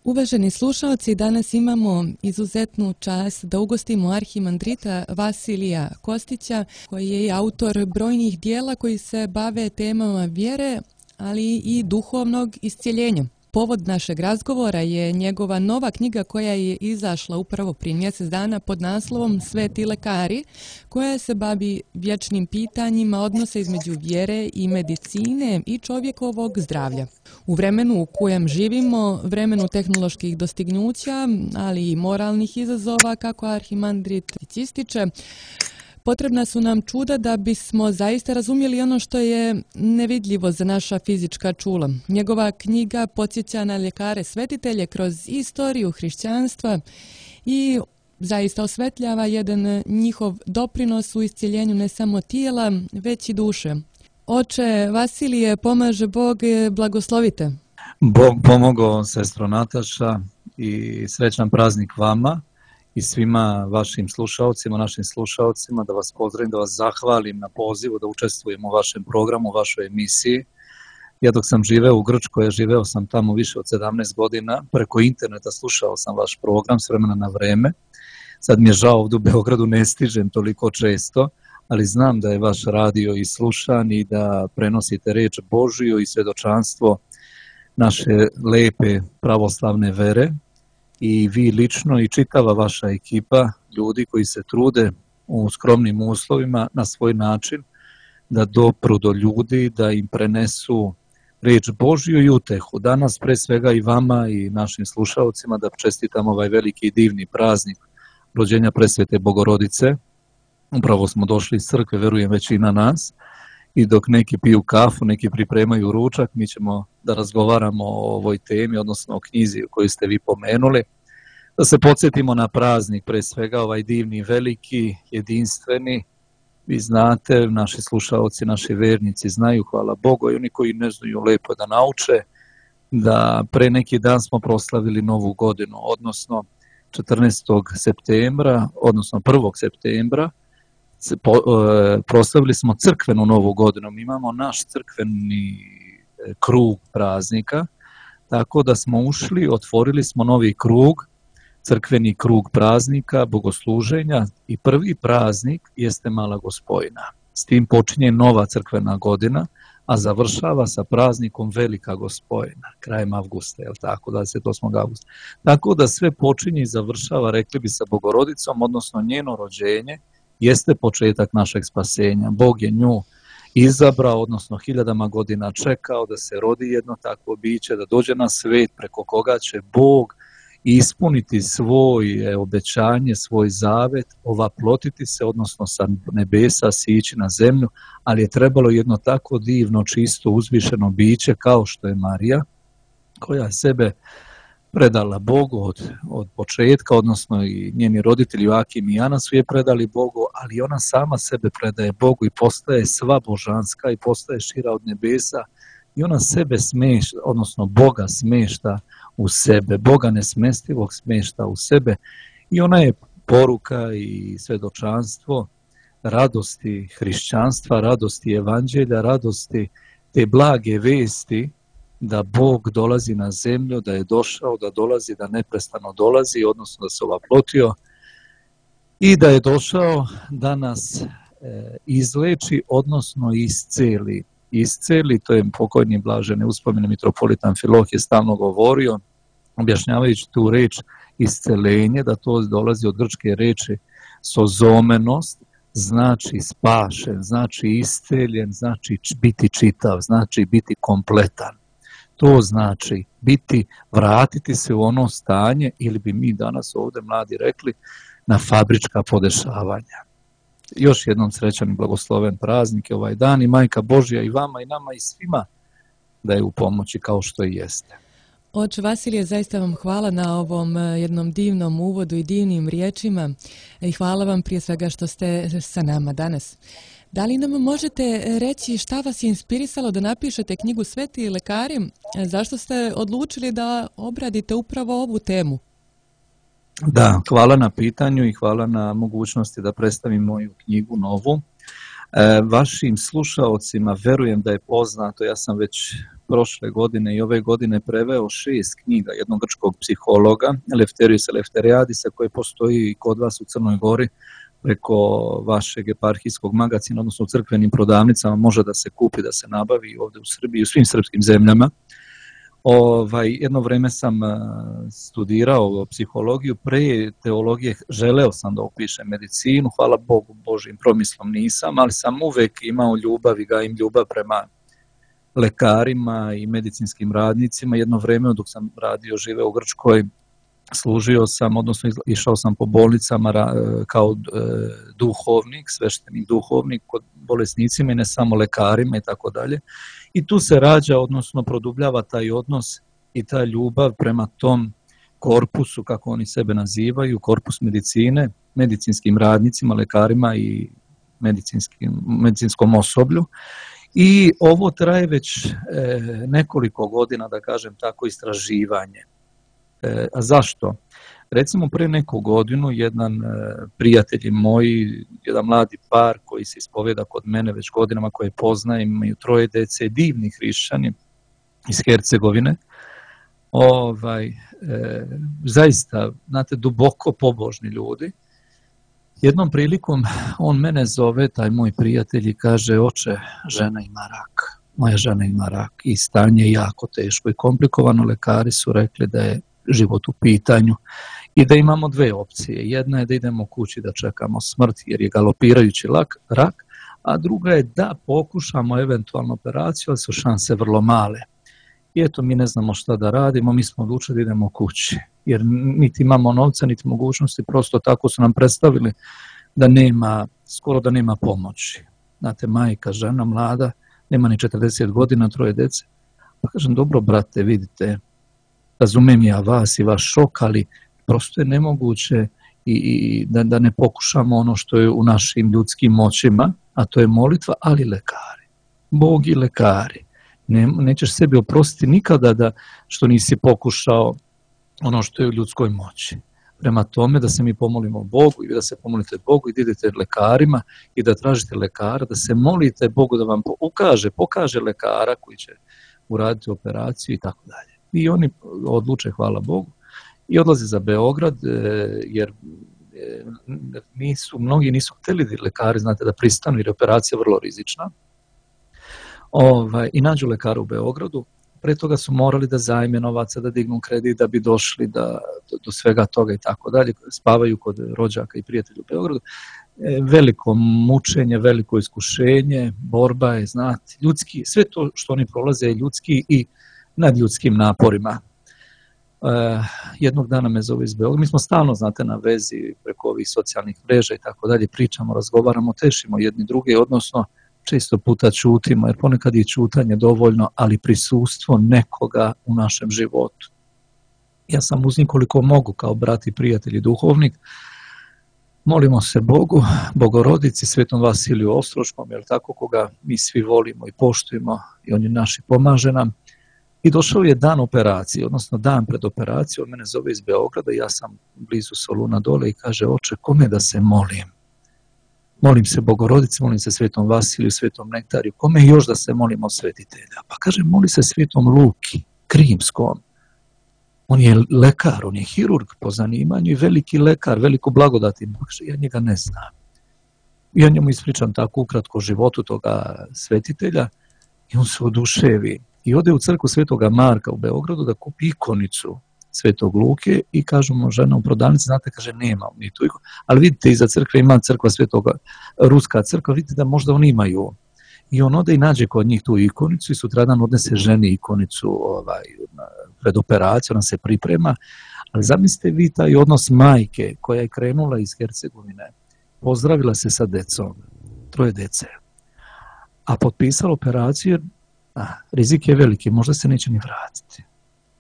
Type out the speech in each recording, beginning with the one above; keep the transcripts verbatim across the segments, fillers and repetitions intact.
Uvaženi slušalci, danas imamo izuzetnu čast da ugostimo arhimandrita Vasilija Kostića, koji je autor brojnih dijela koji se bave temama vjere, ali i duhovnog iscjeljenja. Povod našeg razgovora je njegova nova knjiga koja je izašla upravo prije mjesec dana pod naslovom Sveti lekari, koja se bavi vječnim pitanjima odnosa između vjere i medicine i čovjekovog zdravlja. U vremenu u kojem živimo, vremenu tehnoloških dostignuća, ali i moralnih izazova, kako arhimandrit ističe, potrebna su nam čuda da bismo zaista razumjeli ono što je nevidljivo za naša fizička čula. Njegova knjiga podsjeća na ljekare svetitelje kroz istoriju hrišćanstva i zaista osvetljava jedan njihov doprinos u iscjeljenju ne samo tijela, već i duše. Oče Vasilije, pomaže Bog, blagoslovite. Bog pomogao, sestro Nataša, i srećan praznik vama i svima vašim slušalcima, našim slušalcima, da vas pozdravim, da vas zahvalim na pozivu da učestvujem u vašem programu, u vašoj emisiji. Ja dok sam živeo u Grčkoj, živeo sam tamo više od sedamnaest godina, preko interneta slušao sam vaš program s vremena na vreme. Sad mi je žao, ovdje u Beogradu ne stižem toliko često, ali znam da je vaš radio i slušan i da prenosite reč Božiju i svjedočanstvo naše lepe pravoslavne vere. I vi lično i čitava vaša ekipa ljudi koji se trude u skromnim uslovima na svoj način da dopru do ljudi, da im prenesu reč Božju i utehu. Danas pre svega i vama i našim slušalcima da čestitam ovaj veliki i divni praznik rođenja Presvete Bogorodice. Upravo smo došli iz crkve, verujem većina nas, i dok neki piju kafu, neki pripremaju ručak, mi ćemo da razgovaramo o ovoj temi, odnosno o knjizi koju ste vi pomenuli, da se podsjetimo na praznik, pre svega ovaj divni, veliki, jedinstveni. Vi znate, naši slušalci, naši vernici znaju, hvala Bogu, i oni koji ne znaju lepo da nauče, da pre neki dan smo proslavili Novu godinu, odnosno četrnaestog septembra, odnosno prvog septembra, proslavili smo crkvenu Novu godinu. Mi imamo naš crkveni krug praznika, tako da smo ušli, otvorili smo novi krug, crkveni krug praznika, bogosluženja, i prvi praznik jeste Mala Gospojna. S tim počinje nova crkvena godina, a završava sa praznikom Velika Gospojna, krajem avgusta, je li tako, dvadeset osmog avgusta. Tako da sve počinje i završava, rekli bi, sa Bogorodicom, odnosno njeno rođenje jeste početak našeg spasenja. Bog je nju izabrao, odnosno hiljadama godina čekao da se rodi jedno takvo biće, da dođe na svet preko koga će Bog ispuniti svoje obećanje, svoj zavet, ovaplotiti se, odnosno sa nebesa sići na zemlju, ali je trebalo jedno tako divno, čisto, uzvišeno biće kao što je Marija, koja je sebe predala Bogu od, od početka, odnosno i njeni roditelji Joakim i Ana su je predali Bogu, ali ona sama sebe predaje Bogu i postaje sva božanska i postaje šira od nebesa i ona sebe smešta, odnosno Boga smešta u sebe, Boga nesmestivog smešta u sebe i ona je poruka i svjedočanstvo radosti hrišćanstva, radosti evanđelja, radosti te blage vesti da Bog dolazi na zemlju, da je došao, da dolazi, da neprestano dolazi, odnosno da se ovaplotio i da je došao da nas e, izleči, odnosno isceli. Isceli, to je pokojni blaženi uspomeni mitropolitan Filohije stalno govorio, objašnjavajući tu reč iscelenje, da to dolazi od grčke reči sozomenost, znači spašen, znači isceljen, znači biti čitav, znači biti kompletan. To znači biti, vratiti se u ono stanje, ili bi mi danas ovdje mladi rekli, na fabrička podešavanja. Još jednom srećan i blagosloven praznik je ovaj dan i Majka Božja i vama i nama i svima da je u pomoći kao što i jeste. Oče Vasilije, zaista vam hvala na ovom jednom divnom uvodu i divnim riječima i hvala vam prije svega što ste sa nama danas. Da li nam možete reći šta vas je inspirisalo da napišete knjigu Sveti lekari? Zašto ste odlučili da obradite upravo ovu temu? Da, hvala na pitanju i hvala na mogućnosti da predstavim moju knjigu novu. E, vašim slušaocima verujem da je poznato, ja sam već prošle godine i ove godine preveo šest knjiga jednog grčkog psihologa, Eleftheriusa Eleftheriadisa, koji postoji kod vas u Crnoj Gori preko vašeg eparhijskog magazina, odnosno u crkvenim prodavnicama, može da se kupi, da se nabavi ovdje u Srbiji i u svim srpskim zemljama. Ovaj, jedno vreme sam studirao psihologiju, pre teologije želeo sam da upišem medicinu, hvala Bogu, Božim promislom nisam, ali sam uvek imao ljubav i gajim ljubav prema lekarima i medicinskim radnicima. Jedno vreme dok sam radio, živeo u Grčkoj, služio sam, odnosno išao sam po bolnicama kao duhovnik, sveštenik duhovnik kod bolesnicima i ne samo lekarima i tako dalje. I tu se rađa, odnosno produbljava taj odnos i ta ljubav prema tom korpusu, kako oni sebe nazivaju, korpus medicine, medicinskim radnicima, lekarima i medicinskom osoblju. I ovo traje već e, nekoliko godina, da kažem tako, istraživanje. E, a zašto? Recimo, pre neku godinu jedan e, prijatelj moj, jedan mladi par koji se ispovjeda kod mene već godinama, koje poznajem, imaju troje dece, divni hrišćani iz Hercegovine, ovaj, e, zaista, znate, duboko pobožni ljudi. Jednom prilikom on mene zove, taj moj prijatelj, i kaže: oče, žena ima rak, moja žena ima rak i stanje je jako teško i komplikovano. Lekari su rekli da je život u pitanju i da imamo dve opcije. Jedna je da idemo kući da čekamo smrt jer je galopirajući lak, rak, a druga je da pokušamo eventualno operaciju, ali su šanse vrlo male. I eto, mi ne znamo šta da radimo, mi smo odlučili da idemo kući, jer niti imamo novca, niti mogućnosti, prosto tako su nam predstavili da nema, skoro da nema pomoći. Znate, majka, žena, mlada, nema ni četrdeset godina, troje dece. Pa kažem: dobro, brate, vidite, razumem ja vas i vaš šok, ali prosto je nemoguće i, i da, da ne pokušamo ono što je u našim ljudskim moćima, a to je molitva, ali lekari. Bog i lekari. Ne, nećeš sebi oprostiti nikada da što nisi pokušao ono što je u ljudskoj moći. Prema tome, da se mi pomolimo Bogu i da se pomolite Bogu i da idete lekarima i da tražite lekara, da se molite Bogu da vam ukaže, pokaže lekara koji će uraditi operaciju i tako dalje. I oni odluče, hvala Bogu, i odlaze za Beograd, jer nisu, mnogi nisu htjeli da lekari, znate, da pristanu jer je operacija vrlo rizična. Ovaj, i nađu lekara u Beogradu. Pre toga su morali da zajme novaca, da dignu kredit, da bi došli da, do, do svega toga i tako dalje. Spavaju kod rođaka i prijatelja u Beogradu. E, veliko mučenje, veliko iskušenje, borba je, znate, ljudski, sve to što oni prolaze je ljudski i nad ljudskim naporima. E, jednog dana me zove iz Beograda. Mi smo stalno, znate, na vezi preko ovih socijalnih mreža i tako dalje, pričamo, razgovaramo, tešimo jedni druge, odnosno često puta ćutimo, jer ponekad je ćutanje dovoljno, ali prisustvo nekoga u našem životu. Ja sam uz njih koliko mogu, kao brat i prijatelj i duhovnik, molimo se Bogu, Bogorodici, Svetom Vasiliju Ostroškom, jer tako, koga mi svi volimo i poštujemo, i on je naš i pomaže nam. I došao je dan operacije, odnosno dan pred operacijom, on mene zove iz Beograda, ja sam blizu Soluna dole i kaže: oče, kome da se molim? Molim se Bogorodici, molim se Svetom Vasiliju, Svetom Nektariju, kome još da se molimo od svetitelja? Pa kaže: moli se Svetom Luki, Krimskom. On je lekar, on je hirurg po zanimanju i veliki lekar, veliko blagodati. Kaže: ja njega ne znam. I ja njemu ispričam tako ukratko o životu toga svetitelja i on se oduševi. I ode u crkvu Svetoga Marka u Beogradu da kupi ikonicu Svetog Luke i kažu mu žena u prodavnici, znate, kaže, nema ni tu ikonu, ali vidite, iza crkve ima crkva Svetoga, ruska crkva, vidite da možda oni imaju. I on ode i nađe kod njih tu ikonicu i sutradan odnese ženi ikonicu ovaj, pred operaciju, ona se priprema, ali zamislite vi taj odnos majke koja je krenula iz Hercegovine, pozdravila se sa decom, troje dece, a potpisala operaciju, a, rizik je veliki, možda se neće ni vratiti.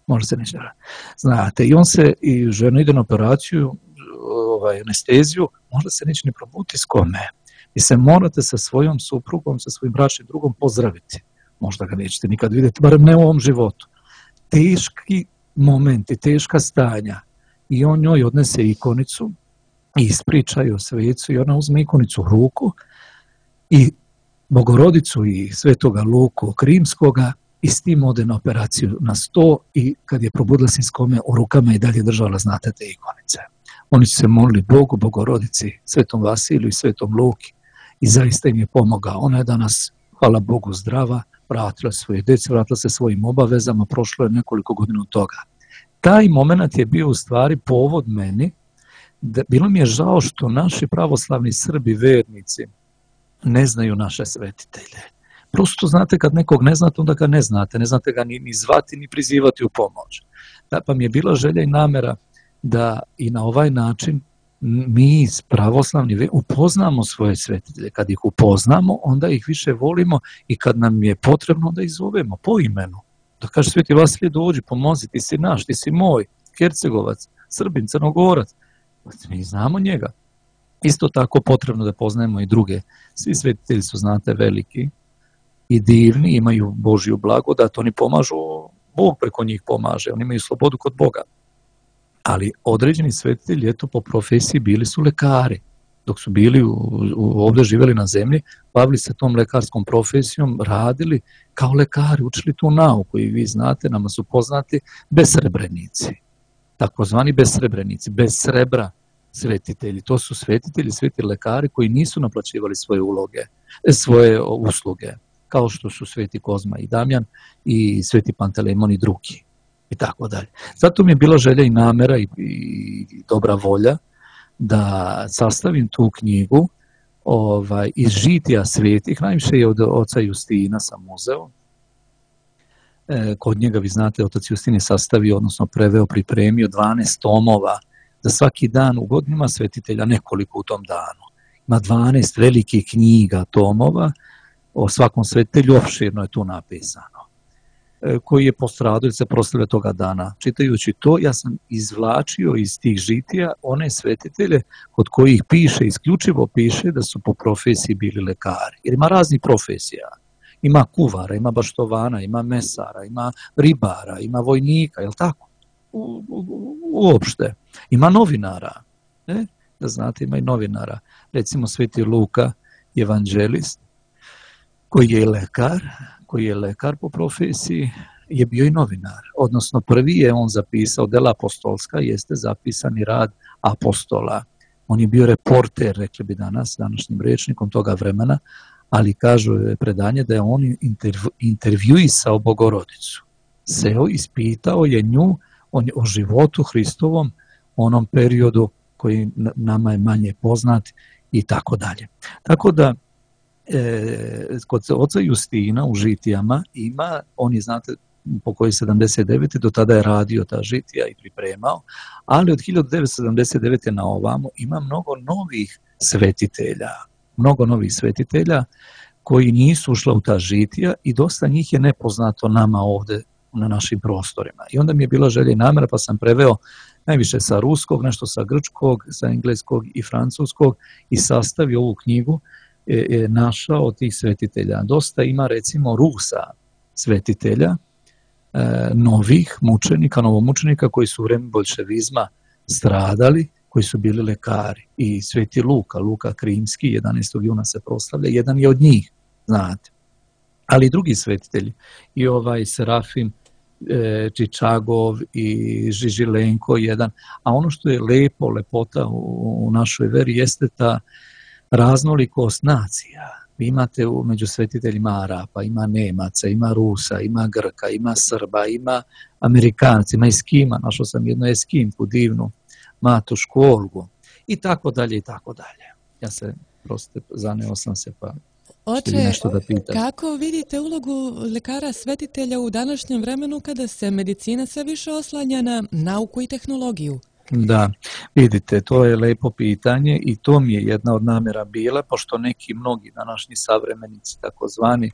Možda se neće vratiti. Znate, i on se, i žena ide na operaciju, ovaj, anesteziju, možda se neće ni probuditi s kome. I se morate sa svojom suprugom, sa svojim bračnim drugom pozdraviti. Možda ga nećete nikad vidjeti, barem ne u ovom životu. Teški momenti, teška stanja. I on njoj odnese ikonicu i ispriča joj svecu i ona uzme ikonicu u ruku i Bogorodicu i Svetoga Luku Krimskoga i s tim ode na operaciju na sto i kad je probudila se iz kome, u rukama i dalje držala, znate, te ikonice. Oni su se molili Bogu, Bogorodici, Svetom Vasiliju i Svetom Luki i zaista im je pomogao. Ona je danas, hvala Bogu, zdrava, vratila svoje djece, vratila se svojim obavezama, prošlo je nekoliko godina od toga. Taj moment je bio u stvari povod meni, da bilo mi je žao što naši pravoslavni Srbi, vernici, ne znaju naše svetitelje. Prosto znate, kad nekog ne znate, onda ga ne znate, ne znate ga ni, ni zvati, ni prizivati u pomoć. Da, pa mi je bila želja i namera da i na ovaj način mi pravoslavni upoznamo svoje svetitelje. Kad ih upoznamo, onda ih više volimo i kad nam je potrebno da ih zovemo po imenu. Da kaže Sveti Vasilije, dođi, pomozi, ti si naš, ti si moj, Hercegovac, Srbin, Crnogorac. Mi znamo njega. Isto tako potrebno da poznajemo i druge. Svi svetitelji su, znate, veliki i divni, imaju Božju blagodat, oni pomažu, Bog preko njih pomaže, oni imaju slobodu kod Boga. Ali određeni svetitelji, eto, po profesiji bili su lekari. Dok su bili u, u, ovdje živjeli na zemlji, bavili se tom lekarskom profesijom, radili kao lekari, učili tu nauku i vi znate, nama su poznati besrebrenici, takozvani besrebrenici, bez srebra svetitelji. To su svetitelji, sveti lekari koji nisu naplaćivali svoje uloge, svoje usluge, kao što su sveti Kozma i Damjan i sveti Pantelemon i drugi i tako dalje. Zato mi je bila želja i namera i, i dobra volja da sastavim tu knjigu ovaj, iz žitija svetih, najviše je od oca Justina sam uzeo. E, kod njega, vi znate, otac Justin je sastavio, odnosno preveo, pripremio dvanaest tomova za svaki dan u godinima svetitelja, nekoliko u tom danu. Ima dvanaest velikih knjiga, tomova, o svakom svetitelju, opširno je tu napisano, e, koji je postradao ili se proslavlja toga dana. Čitajući to, ja sam izvlačio iz tih žitija one svetitelje kod kojih piše, isključivo piše da su po profesiji bili lekari. Jer ima raznih profesija. Ima kuvara, ima baštovana, ima mesara, ima ribara, ima vojnika, je li tako? U, u, uopšte. Ima novinara. Ne? Da znate, ima i novinara. Recimo Sveti Luka, evanđelist, koji je lekar, koji je lekar po profesiji, je bio i novinar. Odnosno, prvi je on zapisao, dela apostolska, jeste zapisani rad apostola. On je bio reporter, rekli bi danas, današnjim rečnikom toga vremena, ali kažu predanje da je on intervju, intervjuisao Bogorodicu. Seo, ispitao je nju o, o životu Hristovom, onom periodu koji nama je manje poznat i tako dalje. Tako da, e, kod oca Justina u žitijama ima, on je, znate, po koji sedamdeset devete do tada je radio ta žitija i pripremao, ali od hiljadu devetsto sedamdeset devete na ovamo ima mnogo novih svetitelja, mnogo novih svetitelja koji nisu ušla u ta žitija i dosta njih je nepoznato nama ovdje na našim prostorima. I onda mi je bila želja i namjera, pa sam preveo najviše sa ruskog, nešto sa grčkog, sa engleskog i francuskog i sastavio ovu knjigu, e, e, našao od tih svetitelja. Dosta ima, recimo, Rusa svetitelja, e, novih mučenika, novomučenika koji su u vreme boljševizma stradali, koji su bili lekari. I Sveti Luka, Luka Krimski, jedanaestog juna se proslavlja, jedan je od njih, znate. Ali i drugi svetitelji, i ovaj Serafim e, Čičagov i Žižilenko jedan. A ono što je lepo, lepota u, u našoj veri jeste ta raznolikost nacija. Vi imate u, među svetiteljima Arapa, ima Nemaca, ima Rusa, ima Grka, ima Srba, ima Amerikanci, ima Eskima, našao sam jednu Eskimku divnu, Matušku Olgu i tako dalje i tako dalje. Ja se prosto zaneo sam se pa Oče, nešto da pitam. Kako vidite ulogu lekara svetitelja u današnjem vremenu kada se medicina sve više oslanja na nauku i tehnologiju? Da, vidite, to je lepo pitanje i to mi je jedna od namjera bila, pošto neki mnogi današnji savremenici takozvani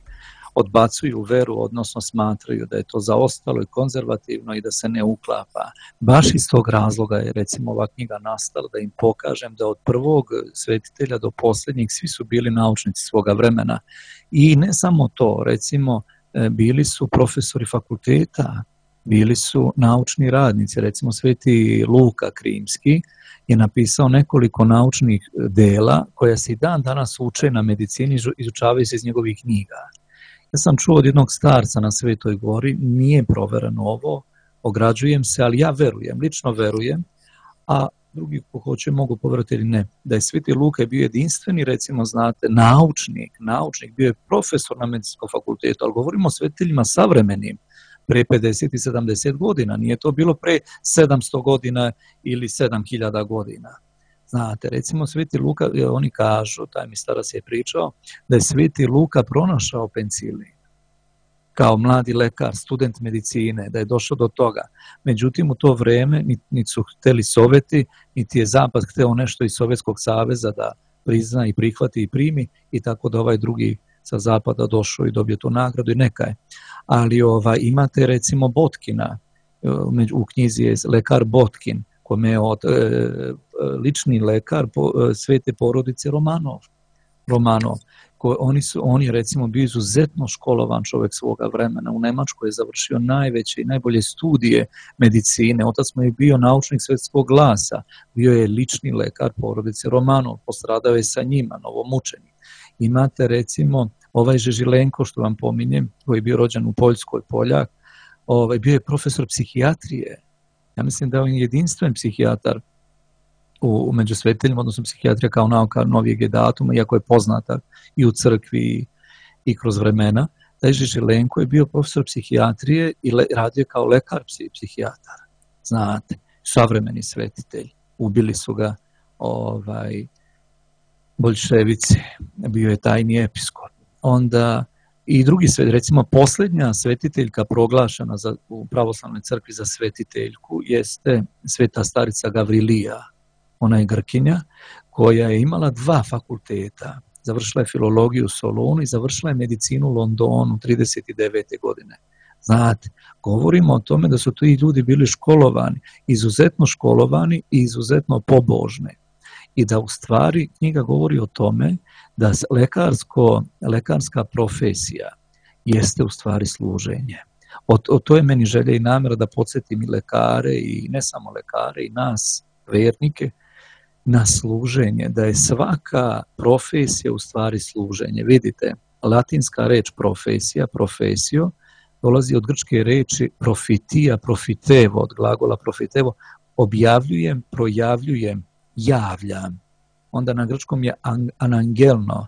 odbacuju veru, odnosno smatraju da je to zaostalo i konzervativno i da se ne uklapa. Baš iz tog razloga je, recimo, ova knjiga nastala, da im pokažem da od prvog svetitelja do posljednjih svi su bili naučnici svoga vremena. I ne samo to, recimo, bili su profesori fakulteta, bili su naučni radnici. Recimo, Sveti Luka Krimski je napisao nekoliko naučnih dela koja se i dan danas uče na medicini, izučavaju se iz njegovih knjiga. Ja sam čuo od jednog starca na Svetoj gori, nije provereno ovo, ograđujem se, ali ja verujem, lično verujem, a drugi ko hoće mogu poverovati ili ne, da je Sveti Luka bio jedinstveni, recimo znate, naučnik, naučnik, bio je profesor na medicinskom fakultetu, ali govorimo o svetiteljima savremenim, pre pedeset i sedamdeset godina, nije to bilo pre sedamsto godina ili sedam hiljada godina. Znate, recimo Sveti Luka, oni kažu, taj mi starac je pričao, da je Sveti Luka pronašao penicilin kao mladi lekar, student medicine, da je došao do toga. Međutim, u to vreme niti su hteli Sovjeti, niti je Zapad hteo nešto iz Sovjetskog saveza da prizna i prihvati i primi, i tako da ovaj drugi sa Zapada došao i dobio tu nagradu i neka je. Ali ovaj, imate recimo Botkina, u knjizi je lekar Botkin, kome je od, e, lični lekar po, e, svete porodice Romanov. Romanov. Ko, oni, su, oni recimo bio izuzetno školovan čovjek svoga vremena. U Nemačkoj je završio najveće i najbolje studije medicine. Otac mu je bio naučnik svjetskog glasa. Bio je lični lekar porodice Romanov. Postradao je sa njima, novomučenik. Imate recimo ovaj Žežilenko, što vam pominjem, koji je bio rođen u Poljskoj, Poljak, ovaj, bio je profesor psihijatrije. Ja mislim da je on jedinstven psihijatar u, među svetiteljima, odnosno psihijatrija kao nauka novijeg je datuma, iako je poznata i u crkvi i, i kroz vremena. Taj Žežilenko je bio profesor psihijatrije i le, radio kao lekar psihijatar. Znate, savremeni svetitelj. Ubili su ga ovaj, boljševici, bio je tajni episkop. Onda i drugi svet, recimo posljednja svetiteljka proglašena za, u pravoslavnoj crkvi za svetiteljku jeste sveta starica Gavrilija. Ona je Grkinja koja je imala dva fakulteta. Završila je filologiju u Solunu i završila je medicinu u Londonu trideset devete godine. Znate, govorimo o tome da su ti ljudi bili školovani, izuzetno školovani i izuzetno pobožni. I da u stvari knjiga govori o tome da lekarsko, lekarska profesija jeste u stvari služenje. O, o to je meni želja i namjera da podsjetim i lekare i ne samo lekare i nas, vernike, na služenje, da je svaka profesija u stvari služenje. Vidite, latinska reč profesija, profesio, dolazi od grčke reči profitija, profitevo, od glagola profitevo, objavljujem, projavljujem, javljam. Onda na grčkom je anangelno,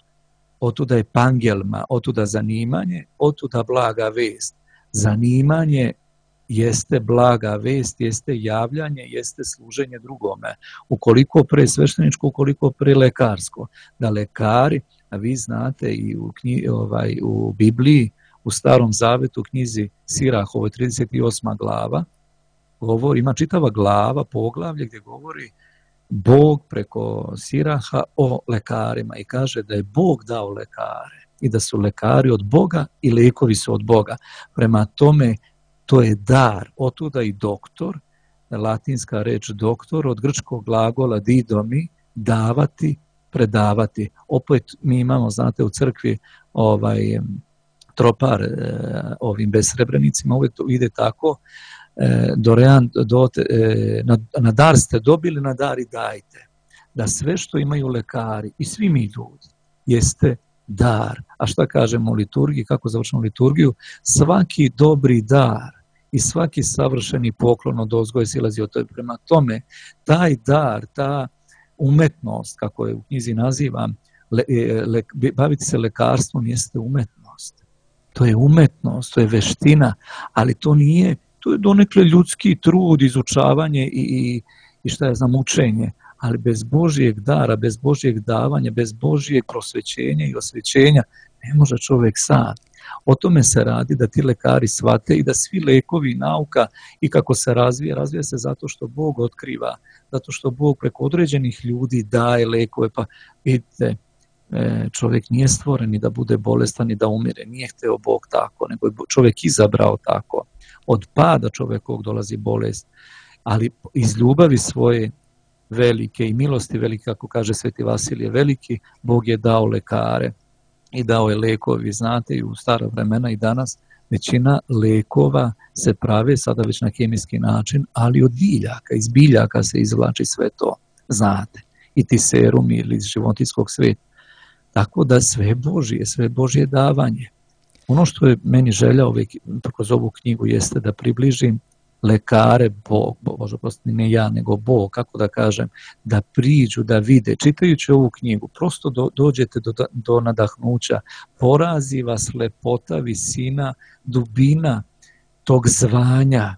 otuda je pangelma, otuda zanimanje, otuda blaga vest. Zanimanje jeste blaga vest, jeste javljanje, jeste služenje drugome. Ukoliko pre svešteničko, ukoliko pre lekarsko. Da lekari, a vi znate i u, knji, ovaj, u Bibliji, u Starom Zavetu, u knjizi Sirah, ovo je trideset osma glava, govori, ima čitava glava, poglavlje gdje govori Bog preko Siraha o lekarima i kaže da je Bog dao lekare i da su lekari od Boga i lekovi su od Boga. Prema tome, to je dar, otuda i doktor, latinska reč doktor, od grčkog glagola didomi, davati, predavati. Opet mi imamo, znate, u crkvi ovaj tropar e, ovim besrebrenicima, uvijek to ide tako, e, dorean, do, e, na, na dar ste dobili, na dar i dajte. Da sve što imaju lekari i svi mi ljudi jeste dar. A šta kažemo u liturgiji, kako završimo liturgiju? Svaki dobri dar i svaki savršeni poklon od ozgoja silazi od toga. Prema tome, taj dar, ta umetnost, kako je u knjizi nazivam, le, le, baviti se lekarstvom jeste umetnost. To je umetnost, to je veština, ali to nije, to je donekle ljudski trud, izučavanje i, i, i šta je znam, učenje. Ali bez Božijeg dara, bez Božijeg davanja, bez Božijeg prosvećenja i osvećenja ne može čovjek sam. O tome se radi da ti lekari shvate i da svi lekovi i nauka i kako se razvija, razvija se zato što Bog otkriva, zato što Bog preko određenih ljudi daje lekove. Pa vidite, čovjek nije stvoren ni da bude bolestan ni da umire, nije hteo Bog tako, nego je čovjek izabrao tako. Od pada čovjekovog dolazi bolest, ali iz ljubavi svoje velike i milosti velike, kako kaže Sveti Vasilije Veliki, Bog je dao lekare i dao je lekovi. Znate, i u stara vremena i danas većina lekova se prave sada već na kemijski način, ali od biljaka, iz biljaka se izvlači sve to, znate, i ti serumi ili iz životinjskog sveta. Tako da sve Božije, sve Božje davanje. Ono što je meni želja ove, kroz ovu knjigu jeste da približim lekare, Bog, Bože prosti, ne ja, nego Bog, kako da kažem, da priđu, da vide. Čitajući ovu knjigu, prosto do, dođete do, do nadahnuća, porazi vas lepota, visina, dubina tog zvanja.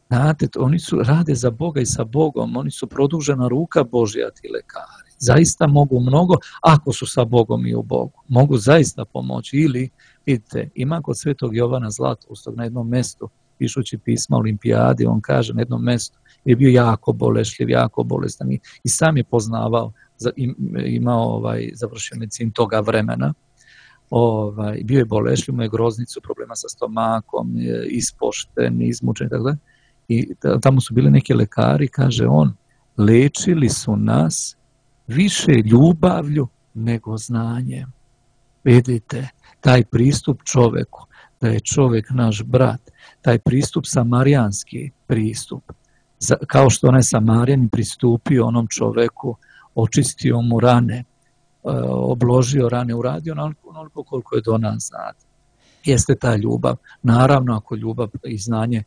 Znate, oni su, rade za Boga i sa Bogom, oni su produžena ruka Božja, ti lekari. Zaista mogu mnogo, ako su sa Bogom i u Bogu. Mogu zaista pomoći. Ili, vidite, ima kod Svetog Jovana Zlatoustog na jednom mjestu, pišući pisma Olimpijadi, on kaže na jednom mjestu, je bio jako bolešljiv, jako bolestan i, i sam je poznavao, imao ovaj, završio medicinu toga vremena, ovaj, bio je bolešljiv, imao je groznicu, problema sa stomakom, ispošten, izmučen, tako da. I tamo su bili neki lekari, kaže on, lečili su nas više ljubavlju nego znanjem. Vidite, taj pristup čoveku, da je čovjek naš brat, taj pristup samarijanski pristup, kao što onaj Samarijan pristupio onom čoveku, očistio mu rane, obložio rane, uradio onoliko koliko je do nas znati. Jeste ta ljubav. Naravno, ako ljubav i znanje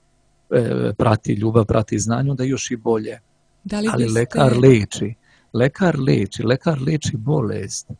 prati, ljubav prati znanje, onda još i bolje. Da li ali biste... lekar leči, lekar leči, lekar leči bolest,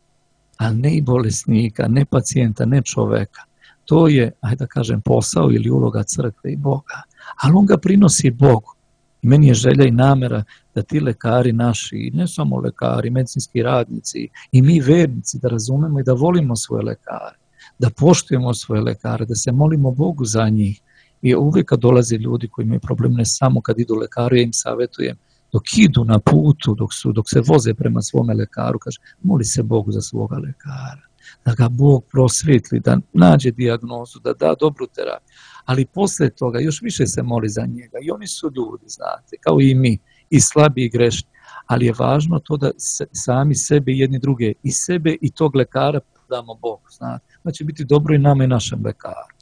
ali ne i bolesnika, ne pacijenta, ne čoveka. To je, ajde da kažem, posao ili uloga crkve i Boga, ali on ga prinosi Bogu. I meni je želja i namera da ti lekari naši, ne samo lekari, medicinski radnici, i mi vernici da razumemo i da volimo svoje lekare, da poštujemo svoje lekare, da se molimo Bogu za njih. I uvijek kad dolaze ljudi koji imaju problem, ne samo kad idu lekaru, ja im savjetujem, dok idu na putu, dok, su, dok se voze prema svome lekaru, kaže, moli se Bogu za svoga lekara, da ga Bog prosvetli, da nađe dijagnozu, da da dobru terapiju. Ali poslije toga još više se moli za njega. I oni su ljudi, znate, kao i mi, i slabi i grešni. Ali je važno to da se, sami sebe i jedni druge, i sebe i tog lekara damo Bogu, znate. Da će biti dobro i nama i našem lekaru.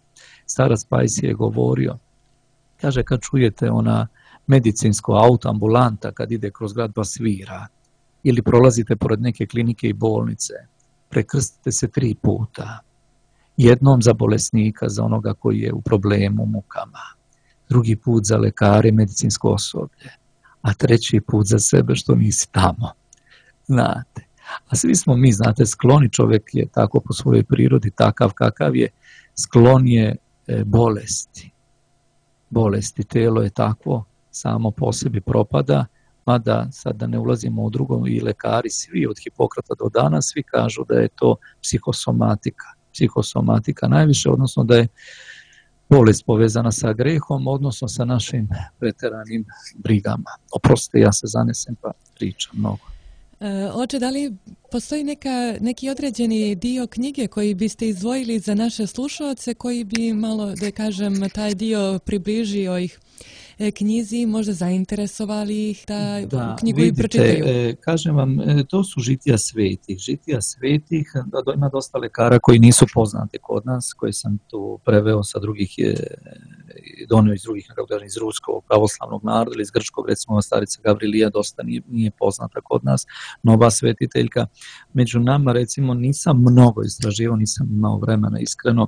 Starac Pajsi je govorio, kaže, kad čujete ona medicinsko auto, ambulanta, kad ide kroz grad pa svira, ili prolazite pored neke klinike i bolnice, prekrstite se tri puta. Jednom za bolesnika, za onoga koji je u problemu, mukama. Drugi put za lekare, medicinsko osoblje. A treći put za sebe što nisi tamo. Znate. A svi smo mi, znate, skloni, čovjek je tako po svojoj prirodi, takav kakav je, sklon je e, bolesti. Bolesti, telo je takvo, samo po sebi propada, mada sad da ne ulazimo u drugom, i lekari svi od Hipokrata do danas, svi kažu da je to psihosomatika. Psihosomatika najviše, odnosno da je bolest povezana sa grehom, odnosno sa našim preteranim brigama. Oprostite, ja se zanesem pa pričam mnogo. E, oče, da li postoji neka, neki određeni dio knjige koji biste izdvojili za naše slušalce, koji bi malo, da kažem, taj dio približio ih knjizi, možda zainteresovali ih da, da knjigu vidite, i pročitaju? E, kažem vam, to su žitija svetih. Žitija svetih, da, ima dosta lekara koji nisu poznati kod nas, koji sam tu preveo sa drugih, je, donio iz drugih, nekako iz ruskog pravoslavnog naroda ili iz grčkog, recimo starica Gavrilija dosta nije, nije poznata kod nas, nova svetiteljka. Među nama, recimo, nisam mnogo istraživao, nisam imao vremena, iskreno.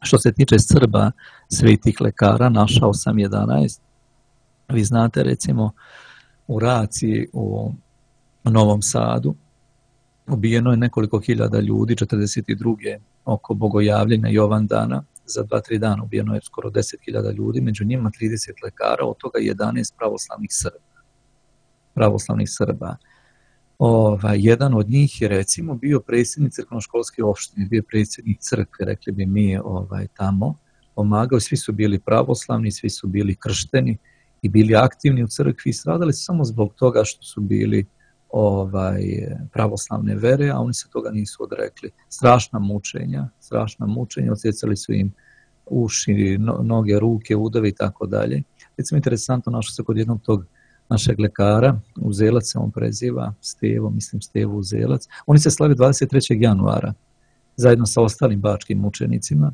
Što se tiče Srba, svetih lekara, našao sam jedanaest. Vi znate, recimo, u Raciji u Novom Sadu ubijeno je nekoliko hiljada ljudi, četrdeset druge oko bogojavljenja Jovandana, za dva tri dana ubijeno je skoro deset hiljada ljudi, među njima trideset lekara, od toga jedanaest pravoslavnih Srba. Pravoslavnih Srba. Ovaj, jedan od njih je, recimo, bio predsjednik crkvenoškolske opštine, bio predsjednik crkve, rekli bi mi, ovaj, tamo, pomagao, svi su bili pravoslavni, svi su bili kršteni i bili aktivni u crkvi i stradali su samo zbog toga što su bili ovaj, pravoslavne vere, a oni se toga nisu odrekli. Strašna mučenja, strašna mučenja, odsjecali su im uši, no, noge, ruke, udove i tako dalje. Recimo, interesantno, našao se kod jednog tog našeg lekara, Uzelac se on preziva, Stevo, mislim Stevo Uzelac. Oni se slavi dvadeset trećeg januara, zajedno sa ostalim bačkim mučenicima.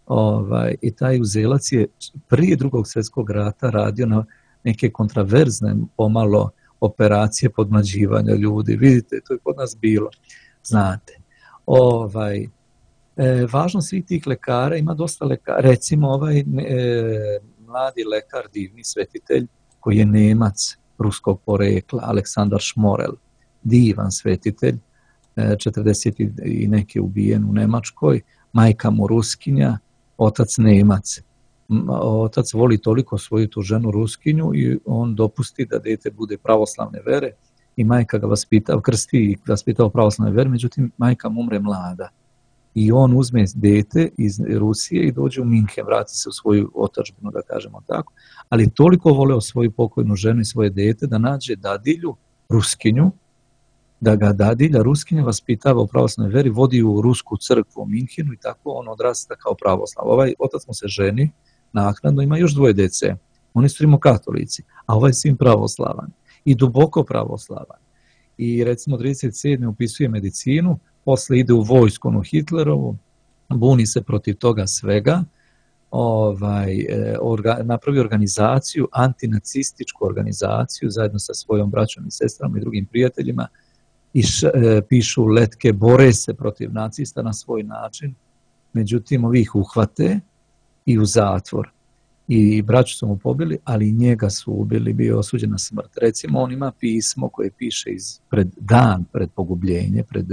Ovaj, i taj Uzelac je prije drugog svjetskog rata radio na neke kontraverzne pomalo operacije podmlađivanja ljudi. Vidite, to je kod nas bilo, znate. Ovaj, E, važnost svih tih lekara, ima dosta lekara, recimo ovaj e, mladi lekar, divni svetitelj, koji je Nemac ruskog porekla, Aleksandar Šmorel, divan svetitelj, e, četrdeset i neki ubijen u Nemačkoj, majka mu Ruskinja, otac Nemac. Otac voli toliko svoju tu ženu Ruskinju i on dopusti da dete bude pravoslavne vere i majka ga vaspita, krsti i vaspita u pravoslavne vere, međutim majka mu umre mlada. I on uzme dete iz Rusije i dođe u Minhen, vrati se u svoju otadžbinu, da kažemo tako, ali toliko voleo svoju pokojnu ženu i svoje dete da nađe dadilju, Ruskinju, da ga dadilja Ruskinja vaspitava u pravoslavnoj veri, vodi u rusku crkvu u Minhenu i tako on odrasta kao pravoslav. Ovaj otac mu se ženi, naknadno ima još dvoje dece, oni su rimokatolici, a ovaj sin pravoslavan i duboko pravoslavan. I recimo trideset sedme upisuje medicinu, posle ide u vojsku u Hitlerovu, buni se protiv toga svega, ovaj, orga, napravi organizaciju, antinacističku organizaciju, zajedno sa svojom braćom i sestrama i drugim prijateljima, i š, e, pišu letke, bore se protiv nacista na svoj način, međutim ovi ih uhvate i u zatvor. I braću su mu pobili, ali i njega su ubili, bio je osuđen na smrt. Recimo, on ima pismo koje piše iz, pred dan, pred pogubljenje, pred,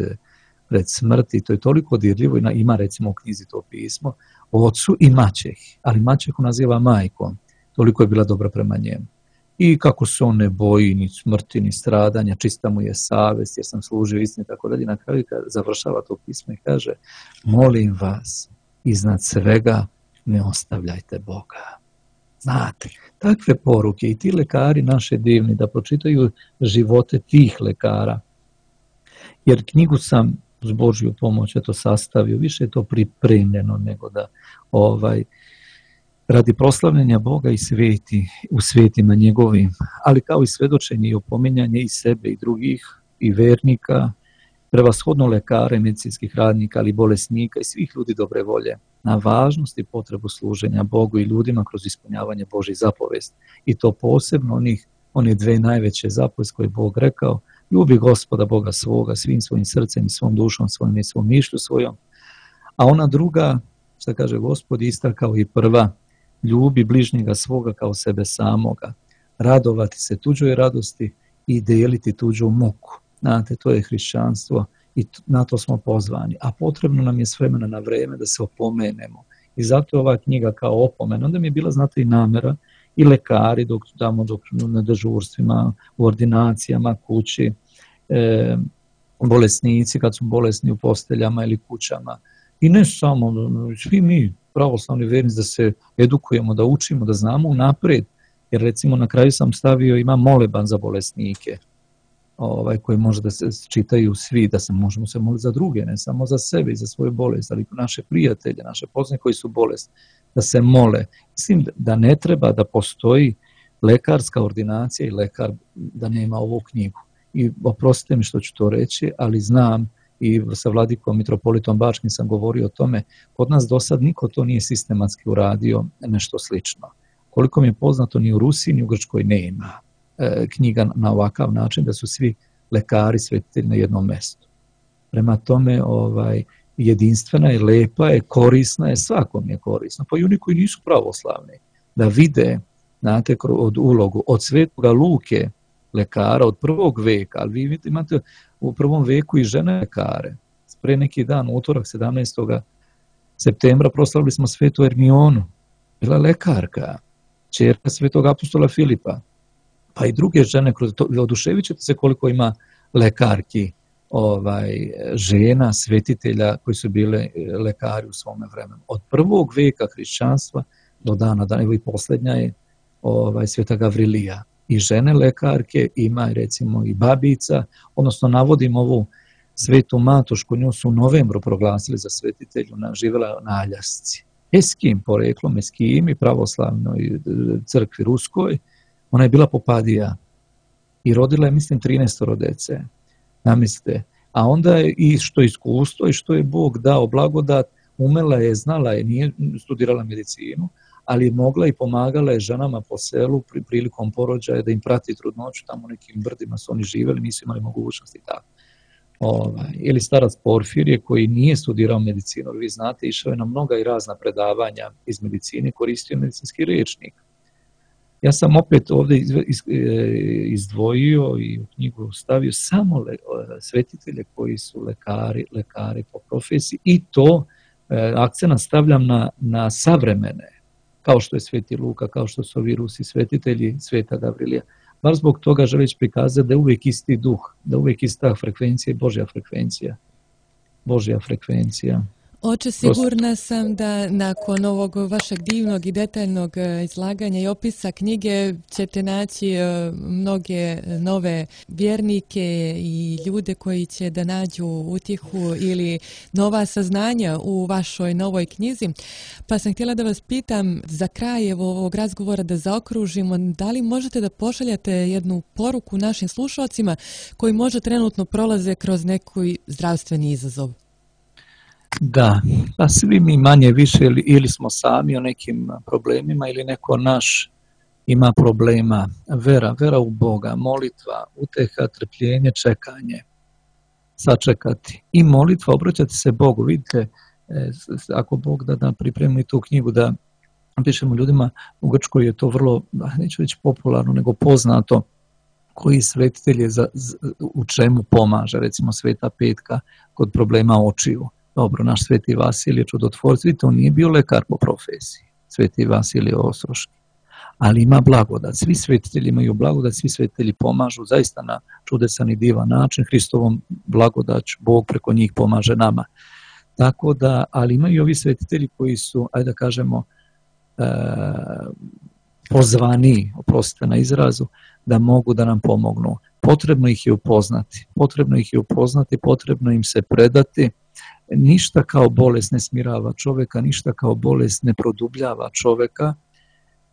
pred smrt, i to je toliko dirljivo, ima recimo u knjizi to pismo, o ocu i maćehi, ali maćehu naziva majkom, toliko je bila dobra prema njemu. I kako se on ne boji ni smrti, ni stradanja, čista mu je savest, jer sam služio istini, tako dalje. Na kraju završava to pismo i kaže, molim vas, iznad svega ne ostavljajte Boga. Znate, takve poruke i ti lekari naše divni, da pročitaju živote tih lekara, jer knjigu sam uz Božju pomoć eto sastavio, više je to pripremljeno nego da ovaj, radi proslavljanja Boga i sveti, u svetima njegovim, ali kao i svedočenje i opominjanje i sebe i drugih i vernika, prevashodno lekara i medicinskih radnika, ali i bolesnika i svih ljudi dobre volje, na važnost i potrebu služenja Bogu i ljudima kroz ispunjavanje Božjih zapovesti. I to posebno onih, one dve najveće zapovesti koje je Bog rekao, ljubi Gospoda Boga svoga svim svojim srcem i svom dušom svojim i svom mišlju svojom. A ona druga, što kaže Gospod, ista kao i prva, ljubi bližnjega svoga kao sebe samoga, radovati se tuđoj radosti i deliti tuđu muku. Znate, to je hrišćanstvo i na to smo pozvani. A potrebno nam je s vremena na vreme da se opomenemo. I zato je ova knjiga kao opomena. Onda mi je bila, znate, i namera, i lekari dok tamo dok na dežurstvima, u ordinacijama, kući, e, bolesnici kad su bolesni u posteljama ili kućama. I ne samo, svi mi, pravoslavni vernici, da se edukujemo, da učimo, da znamo unapred. Jer recimo na kraju sam stavio, ima moleban za bolesnike, ovaj, koji može da se čitaju svi, da se možemo se moliti za druge, ne samo za sebe i za svoju bolest, ali naše prijatelje, naše poznanice koji su bolesni, da se mole. Mislim da ne treba da postoji lekarska ordinacija i lekar da nema ovu knjigu. I oprostite mi što ću to reći, ali znam i sa vladikom mitropolitom Bačkim sam govorio o tome, kod nas do sad niko to nije sistematski uradio nešto slično. Koliko mi je poznato, ni u Rusiji, ni u Grčkoj nema e, knjiga na ovakav način da su svi lekari svetitelji na jednom mestu. Prema tome, ovaj, jedinstvena je, lepa je, korisna je, svakom je korisna. Pa i oni koji nisu pravoslavni, da vide, znate, od ulogu, od Svetoga Luke, lekara od prvog veka, ali vi vidite, imate u prvom veku i žene lekare. Pre neki dan, utorak sedamnaestog septembra, proslavili smo svetu Ermionu, bila lekarka, ćerka svetog apostola Filipa, pa i druge žene, oduševit ćete se koliko ima lekarki, ovaj, žena, svetitelja koji su bile lekari u svome vremenu. Od prvog veka hrišćanstva do dana, da evo i posljednja je ovaj, sveta Gavrilija. I žene lekarke, ima recimo i babica, odnosno navodim ovu svetu Matošku, nju su u novembru proglasili za svetitelju, živjela na Aljasci. Eskim poreklom, Eskim i pravoslavnoj crkvi ruskoj, ona je bila popadija i rodila je, mislim, trinaest dece. Namislite. A onda je i što iskustvo i što je Bog dao blagodat, umela je, znala je, nije studirala medicinu, ali mogla i pomagala je ženama po selu pri, prilikom porođaja da im prati trudnoću, tamo u nekim brdima su oni živjeli, nisu imali mogućnosti tako. Ovaj, ili starac Porfirije koji nije studirao medicinu, vi znate, išao je na mnoga i razna predavanja iz medicine, koristio medicinski rječnik. Ja sam opet ovdje izdvojio i u knjigu stavio samo le, svetitelje koji su lekari, lekari po profesiji i to e, akcent stavljam na, na savremene, kao što je Sveti Luka, kao što su ovi Rusi svetitelji, Sveta Gavrilija. Bar zbog toga želeći prikazati da je uvijek isti duh, da je uvijek ista frekvencija i Božja frekvencija. Božja frekvencija. Oče, sigurna sam da nakon ovog vašeg divnog i detaljnog izlaganja i opisa knjige ćete naći mnoge nove vjernike i ljude koji će da nađu utjehu ili nova saznanja u vašoj novoj knjizi. Pa sam htjela da vas pitam za kraj ovog razgovora da zaokružimo, da li možete da pošaljate jednu poruku našim slušalcima koji možda trenutno prolaze kroz neki zdravstveni izazov? Da, pa svi mi manje više ili, ili smo sami o nekim problemima ili neko naš ima problema. Vera, vera u Boga, molitva, uteha, trpljenje, čekanje, sačekati. I molitva, obraćati se Bogu. Vidite, ako Bog da, da pripremi tu knjigu, da pišemo ljudima, u Grčkoj je to vrlo, neću reći popularno, nego poznato, koji svetitelj je za, u čemu pomaže, recimo Sveta Petka kod problema očiju. Dobro, naš Sveti Vasilije čudotvorac, vidite, on nije bio lekar po profesiji, Sveti Vasilije Ostroški, ali ima blagodat. Svi svetitelji imaju blagodat, svi svetitelji pomažu zaista na čudesan i divan način. Hristovom blagodaću Bog preko njih pomaže nama. Tako da, ali imaju ovi svetitelji koji su, ajde da kažemo, e, pozvani, oprostite na izrazu, da mogu da nam pomognu. Potrebno ih je upoznati, potrebno ih je upoznati, potrebno im se predati. Ništa kao bolest ne smirava čovjeka, ništa kao bolest ne produbljava čovjeka,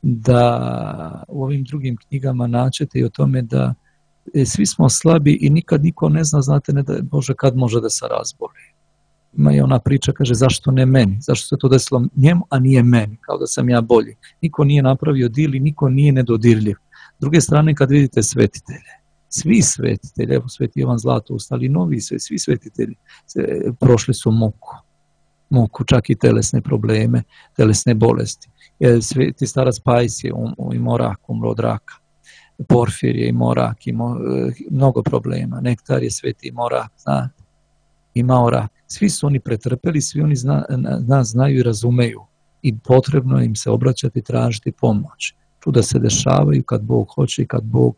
da u ovim drugim knjigama naćete i o tome da svi smo slabi i nikad niko ne zna, znate, ne da, Bože, kad može da se razboli. Ima je ona priča, kaže, zašto ne meni, zašto se to desilo njemu, a nije meni, kao da sam ja bolji. Niko nije napravio dil i niko nije nedodirljiv. S druge strane, kad vidite svetitelje, svi svetitelji, evo Sveti Jovan Zlatoust, ali novi sve, svi svetitelji prošli su muku, muku, čak i telesne probleme, telesne bolesti. Sveti starac Pajs je imao rak, umro od raka. Porfir je imao rak, imao mnogo problema. Nektar je Sveti imao rak, znate, imao rak. Svi su oni pretrpeli, svi oni zna, nas znaju i razumeju i potrebno im se obraćati i tražiti pomoć. Čuda se dešavaju kad Bog hoće i kad Bog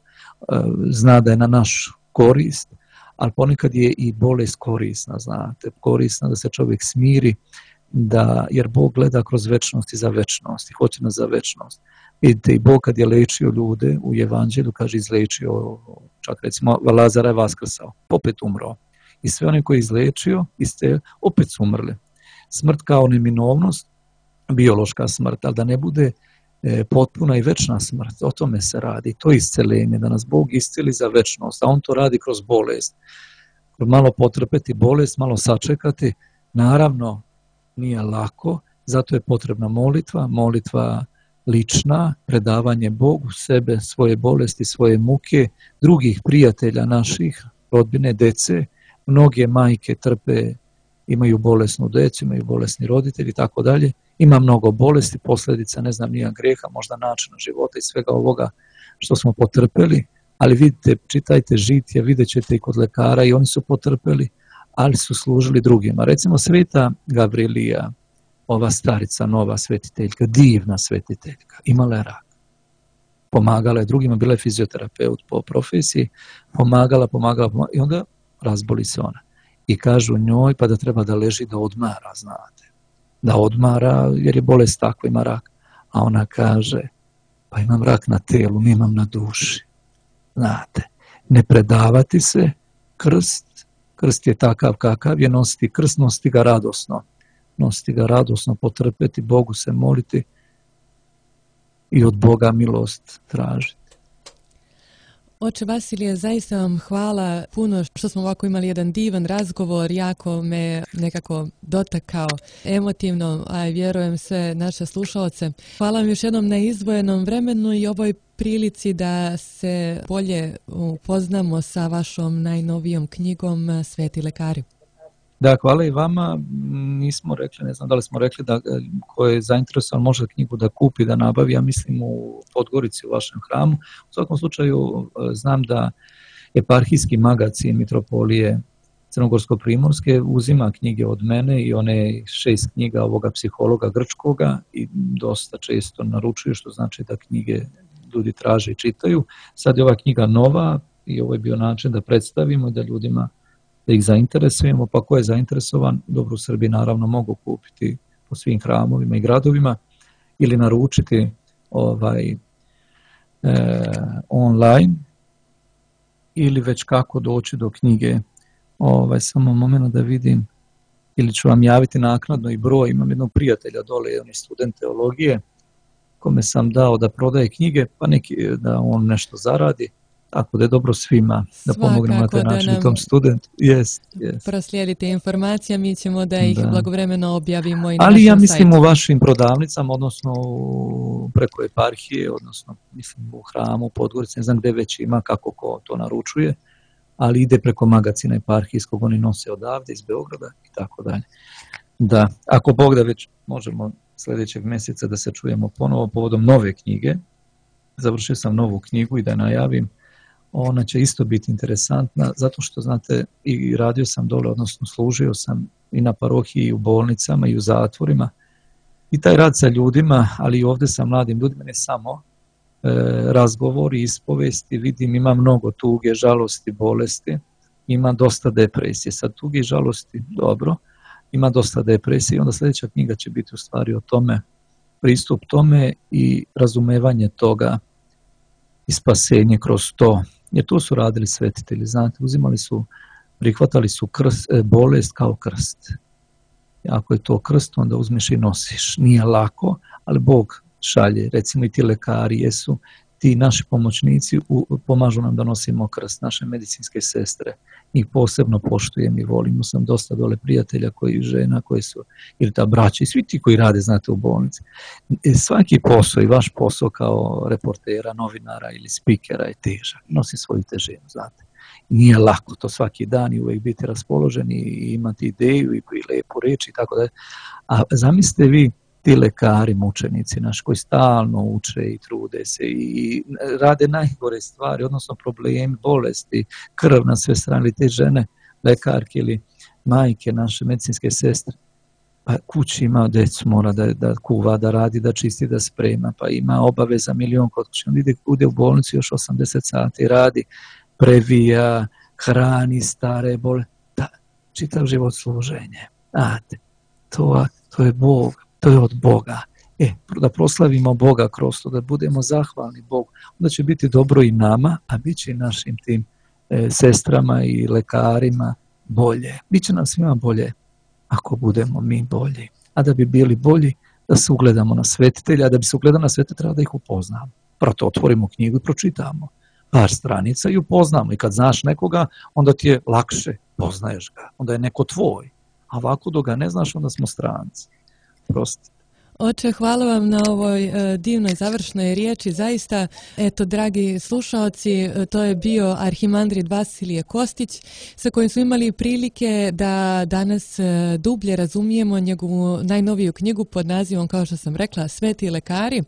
uh, zna da je na naš korist, ali ponekad je i bolest korisna, znate, korisna da se čovjek smiri, da, jer Bog gleda kroz večnost i za večnost i hoće nas za večnost. Vidite, i Bog kad je lečio ljude u Evanđelju, kaže izlečio, čak recimo Lazara je vaskrsao, opet umro. I sve one koje je izlečio, iste, opet su umrli. Smrt kao neminovnost, biološka smrt, ali da ne bude e, potpuna i večna smrt, o tome se radi. To je isceljenje, da nas Bog isceli za večnost, a on to radi kroz bolest. Malo potrpeti bolest, malo sačekati, naravno nije lako, zato je potrebna molitva, molitva lična, predavanje Bogu sebe, svoje bolesti, svoje muke, drugih prijatelja naših, rodbine, dece. Mnoge majke trpe, imaju bolesnu decu, imaju bolesni roditelji i tako dalje. Ima mnogo bolesti, posljedica, ne znam, nija greha, možda načina života i svega ovoga što smo potrpeli, ali vidite, čitajte žitije, vidjet ćete i kod lekara i oni su potrpeli, ali su služili drugima. Recimo Sveta Gavrilija, ova starica, nova svetiteljka, divna svetiteljka, imala je rak. Pomagala je drugima, bila je fizioterapeut po profesiji, pomagala, pomagala, pomagala i onda razboli se ona. I kažu njoj pa da treba da leži da odmara, znate. Da odmara jer je bolest takva, ima rak. A ona kaže, pa imam rak na telu, nemam na duši. Znate, ne predavati se, krst, krst je takav kakav je, nositi krst, nositi ga radosno. Nositi ga radosno, potrpeti, Bogu se moliti i od Boga milost tražiti. Oče Vasilije, zaista vam hvala puno što smo ovako imali jedan divan razgovor, jako me nekako dotakao emotivno, a vjerujem sve naše slušalce. Hvala vam još jednom na izdvojenom vremenu i ovoj prilici da se bolje upoznamo sa vašom najnovijom knjigom Sveti lekari. Da, hvala i vama. Nismo rekli, ne znam da li smo rekli da ko je zainteresovan može knjigu da kupi, da nabavi, ja mislim u Podgorici u vašem hramu. U svakom slučaju znam da eparhijski magacin Mitropolije Crnogorsko-Primorske uzima knjige od mene i one šest knjiga ovoga psihologa grčkoga i dosta često naručuju, što znači da knjige ljudi traže i čitaju. Sad je ova knjiga nova i ovo je bio način da predstavimo i da ljudima da ih zainteresujemo, pa ko je zainteresovan, dobro u Srbiji naravno mogu kupiti po svim hramovima i gradovima ili naručiti ovaj, e, online ili već kako doći do knjige. Ovaj, samo moment da vidim, ili ću vam javiti naknadno i broj, imam jednog prijatelja dole, on je student teologije, kome sam dao da prodaje knjige, pa neki da on nešto zaradi. Tako da je dobro svima da Svakako pomognemo na taj način i tom studentu. Yes, yes. Proslijedite informacije, mi ćemo da ih da. blagovremeno objavimo i na Ali našem ja mislim sajtu. U vašim prodavnicama, odnosno preko eparhije, odnosno mislim u hramu, Podgorici, ne znam gde već ima, kako ko to naručuje, ali ide preko magacina eparhijskog, oni nose odavde iz Beograda i tako dalje. Da, ako Bog da već možemo sljedećeg mjeseca da se čujemo ponovo povodom nove knjige. Završio sam novu knjigu i da najavim. Ona će isto biti interesantna, zato što, znate, i radio sam dole, odnosno služio sam i na parohiji, i u bolnicama, i u zatvorima. I taj rad sa ljudima, ali i ovdje sa mladim ljudima, ne samo e, razgovori, ispovesti, vidim, ima mnogo tuge, žalosti, bolesti, ima dosta depresije. Sad tuge i žalosti, dobro, ima dosta depresije. Onda sljedeća knjiga će biti u stvari o tome, pristup tome i razumevanje toga i spasenje kroz to. Jer to su radili svetitelji, znate, uzimali su, prihvatali su krst, bolest kao krst. Ako je to krst, onda uzmeš i nosiš. Nije lako, ali Bog šalje, recimo i ti lekari jesu, ti naši pomoćnici u, pomažu nam da nosimo krst, naše medicinske sestre. Njih posebno poštujem i volim. Sam dosta dole prijatelja koji žena, koji su, ili ta braća i svi ti koji rade, znate, u bolnici. Svaki posao i vaš posao kao reportera, novinara ili spikera je težak. Nosi svoju težinu, znate. Nije lako to svaki dan i uvijek biti raspoložen i imati ideju i lepu reč i tako da. A zamislite vi, ti lekari, mučenici naši koji stalno uče i trude se i rade najgore stvari, odnosno problemi, bolesti, krv na sve strane, te žene, lekarke ili majke, naše medicinske sestre, pa kući ima djecu, mora da, da kuva, da radi, da čisti, da sprema, pa ima obaveza milion kod kuće, on ide, ide u bolnicu još osamdeset sati, radi, previja, hrani stare bole, da, čitav život služenje, znate, to, to je Bog. To je od Boga. E, da proslavimo Boga kroz to, da budemo zahvalni Bogu, onda će biti dobro i nama, a bit će i našim tim e, sestrama i lekarima bolje. Biće nam svima bolje ako budemo mi bolji. A da bi bili bolji, da se ugledamo na svetitelja, a da bi se ugledamo na svetitelja, treba da ih upoznamo. Proto otvorimo knjigu i pročitamo par stranica i upoznamo. I kad znaš nekoga, onda ti je lakše, poznaješ ga. Onda je neko tvoj. A ovako dok ga ne znaš, onda smo stranci. Prosti. Oče, hvala vam na ovoj e, divnoj završnoj riječi. Zaista, eto, dragi slušaoci, to je bio arhimandrit Vasilije Kostić, sa kojim smo imali prilike da danas e, dublje razumijemo njegovu najnoviju knjigu pod nazivom, kao što sam rekla, Sveti lekari.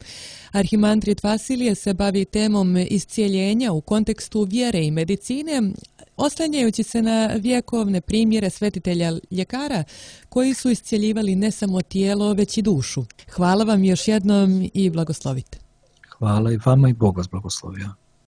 Arhimandrit Vasilije se bavi temom iscijeljenja u kontekstu vjere i medicine, oslanjajući se na vjekovne primjere svetitelja ljekara koji su iscjeljivali ne samo tijelo, već i dušu. Hvala vam još jednom i blagoslovite. Hvala i vama i Bog vas blagoslovio.